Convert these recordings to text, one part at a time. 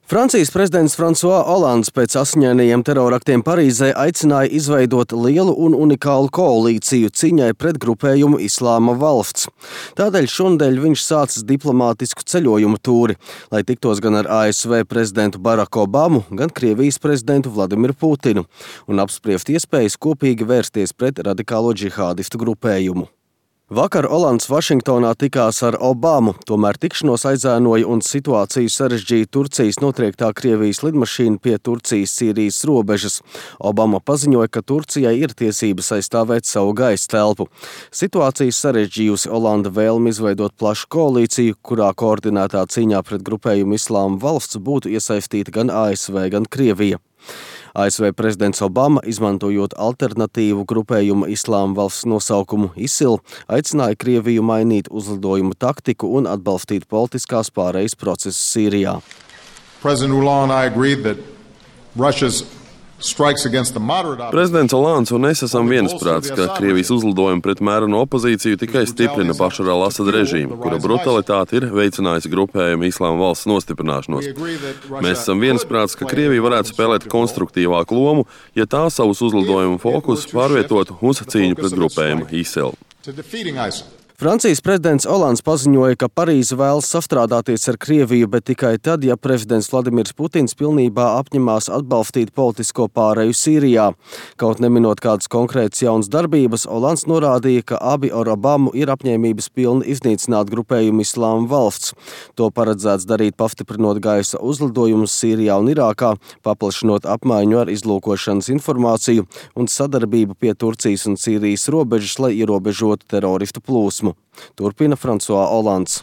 Francijas prezidents François Hollands pēc asiņainajiem teroraktiem Parīzē aicināja izveidot lielu un unikālu koalīciju cīņai pret grupējumu Islāma valsts. Tādēļ šonadēļ viņš sācis diplomātisku ceļojumu tūri, lai tiktos gan ar ASV prezidentu Baraku Obamu, gan Krievijas prezidentu Vladimiru Putinu un apspriest iespējas kopīgi vērsties pret radikālo džihādistu grupējumu. Vakar Hollands Vašingtonā tikās ar Obamu, tomēr tikšanos aizēnoja un situāciju sarežģīja Turcijas notriektā Krievijas lidmašīna pie Turcijas-Sīrijas robežas. Obama paziņoja, ka Turcijai ir tiesības aizstāvēt savu gaisa telpu. Situācija sarežģījusi Hollanda vēlmi izveidot plašu koalīciju, kurā koordinētā cīņā pret grupējumu Islāma valsts būtu iesaistīta gan ASV, gan Krievija. ASV prezidents Obama, izmantojot alternatīvu grupējumu Islāma valsts nosaukumu ISIL, aicināja Krieviju mainīt uzlidojumu taktiku un atbalstīt politiskās pārejas procesu Sīrijā. Prezidents Hollands un es esam viensprāts, ka Krievijas uzlidojumi pret mērenu opozīciju tikai stiprina Bašara al-Asada režīmu, kura brutalitāte ir veicinājusi grupējumu Islāma valsts nostiprināšanos. Mēs esam viensprāts, ka Krievija varētu spēlēt konstruktīvāku lomu, ja tā savus uzlidojumu fokusus pārvietotu uz cīņu pret grupējumu ISIL. Francijas prezidents Hollands paziņoja, ka Parīze vēlas sastrādāties ar Krieviju, bet tikai tad, ja prezidents Vladimirs Putins pilnībā apņemās atbalstīt politisko pāreju Sīrijā. Kaut neminot kādas konkrētas jaunas darbības, Hollands norādīja, ka abi ar Obamu ir apņēmības pilni iznīcināt grupējumu Islāma valsts. To paredzēts darīt pastiprinot gaisa uzlidojumus Sīrijā un Irākā, paplašinot apmaiņu ar izlūkošanas informāciju un sadarbību pie Turcijas un Sīrijas robežas, lai ierobežotu teroristu plūsmu. Turpina François Hollands.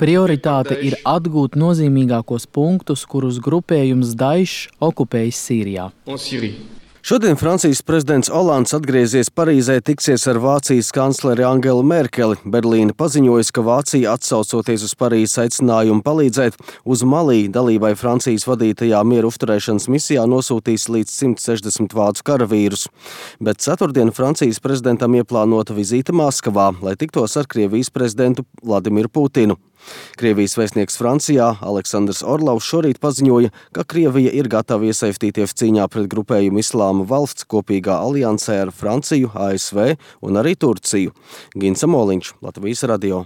Prioritāte ir atgūt nozīmīgākos punktus, kurus grupējums Daesh okupējis Sīrijā. Šodien Francijas prezidents Hollands atgriezies Parīzē, tiksies ar Vācijas kancleri Angelu Merkeli. Berlīne paziņojusi, ka Vācija, atsaucoties uz Parīzes aicinājumu palīdzēt, uz Malī dalībai Francijas vadītajā mieru uzturēšanas misijā nosūtīs līdz 160 vācu karavīrus. Bet ceturtdien Francijas prezidentam ieplānota vizīte Maskavā, lai tiktos ar Krievijas prezidentu Vladimiru Putinu. Krievijas vēstnieks Francijā Aleksandrs Orlovs šorīt paziņoja, ka Krievija ir gatava iesaistīties cīņā pret grupējumu Islāma valsts kopīgā aliansē ar Franciju, ASV un arī Turciju. Gins Amoliņš, Latvijas radio.